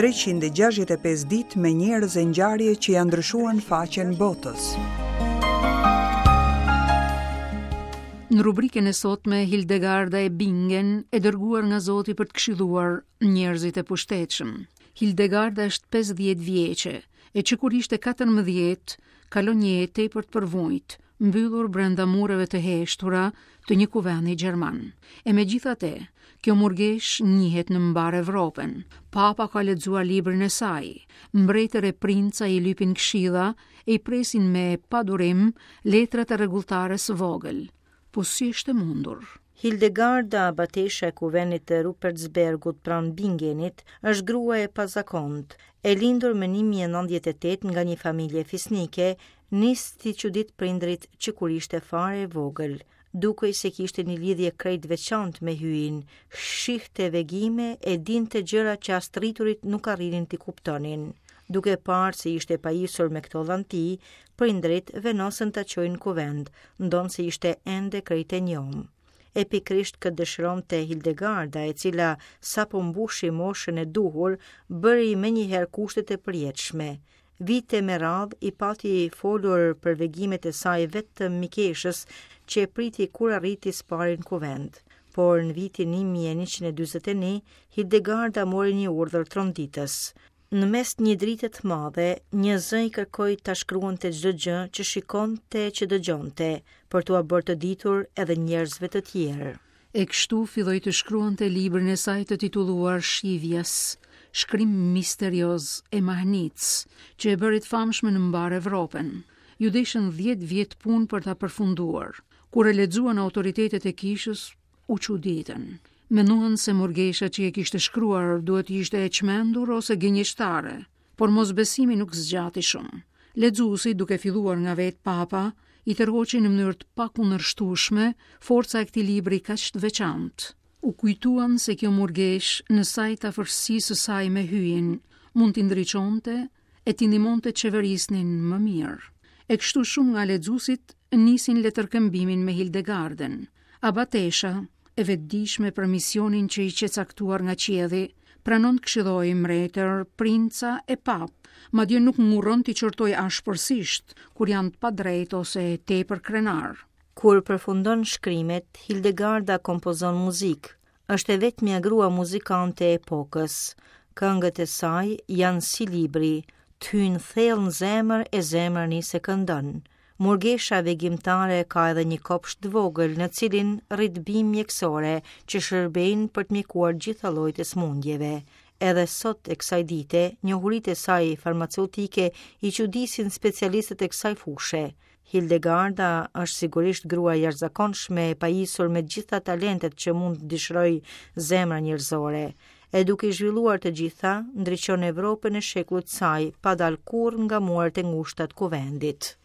365 ditë me njerëz e ngjarje që ia ndryshuan faqen botës. Në rubrikën e sotme Hildegarda e Bingen e dërguar nga Zoti për të këshilluar njerëzit e pushtetshëm. Hildegarda është 50 vjeçe, e që kur ishte 14, kalon një jetë tepër të përvujtë, mbyllur brenda mureve të heshtura të një kuvendi gjerman. E megjithatë, kjo murgeshë njihet në mbarë Evropën. Papa ka lexuar librin e saj. Mbretër e princa i lypin këshilla e i presin me padurim letrat e rregulltares së vogël. Po si është e mundur? Hildegarda, abatesha e kuvendit të Rupertsbergut pranë Bingenit, është grua e pazakontë. E lindur më 1098 nga një familje fisnike, nis t'i çuditë prindërit që kur ishte fare e vogël. Dukej se kishte një lidhje krejt të veçantë me Hyjin, shihte vegime e dinte gjëra që as të rriturit nuk arrinin t'i kuptonin. Duke parë se ishte pajisur me këto dhanti, prindërit vendosën ta çojnë në kuvend, ndonëse ishte ende krejt e njomë. E pikërisht këtë dëshironte Hildegarda, e cila sapo mbushi moshën e duhur, bëri menjëherë kushtet e përjetshme. Vite me radhë i pati folur për vegimet e saj vetëm mikeshës që e priti kur arriti së pari në kuvend. Por në vitin 1141, Hildegarda mori një urdhër tronditës. Në mes një drite të madhe, një zë i kërkoi ta shkruante çdo gjë që shikonte e që dëgjonte, për t'ua bërë të ditur edhe njerëzve të tjerë. E kështu filloi të shkruante librin e saj të titulluar Scivias, shkrim misterioz e mahnitës, që e bëri të famshme në mbarë Evropën. Iu deshën 10 vjet punë për ta përfunduar. Kur e lexuan autoritetet e kishës, u çuditën. Menduan se murgesha që e kishte shkruar duhet të ishte e çmendur ose gënjeshtare, por mosbesimi nuk zgjati shumë. Lexuesit, duke filluar nga vetë Papa, i tërhoqi në mënyrë të pakundërshtueshme forca e këtij libri kaq të veçantë. U kujtuan se kjo murgeshë, në sajë të afërsisë së saj me Hyjin, mund t'i ndriçonte e t'i ndihmonte të qeverisnin më mirë. E kështu shumë nga lexuesit nisin letërkëmbimin me Hildegardën. Abatesha, e vetëdijshme për misionin që i qe caktuar nga qielli, pranon të këshillojë mbretër, princa e papë, madje nuk ngurron t'i qortojë ashpërsisht kur janë të padrejtë ose tepër krenarë. Kur përfundon shkrimet, Hildegarda kompozon muzikë, Është e vetmja grua muzikante e epokës. Këngët e saj janë si libri, të hyjnë thellë në zemër e zemra nis e këndon. Murgesha vegimtare ka edhe një kopsht të vogël në cilin rrit bimë mjekësore që shërbejnë për të mjekuar gjitha llojet e sëmundjeve. Edhe sot e kësaj dite, njohuritë e saj farmaceutike i çudisin specialistët e kësaj fushe. Hildegarda është sigurisht grua e jashtëzakonshme e pajisur me gjitha talentet që mund të dëshirojë zemra njerëzore. E duke i zhvilluar të gjitha, ndriçon Evropën e shekullit të saj pa dalë kurrë nga muret e ngushta të kuvendit.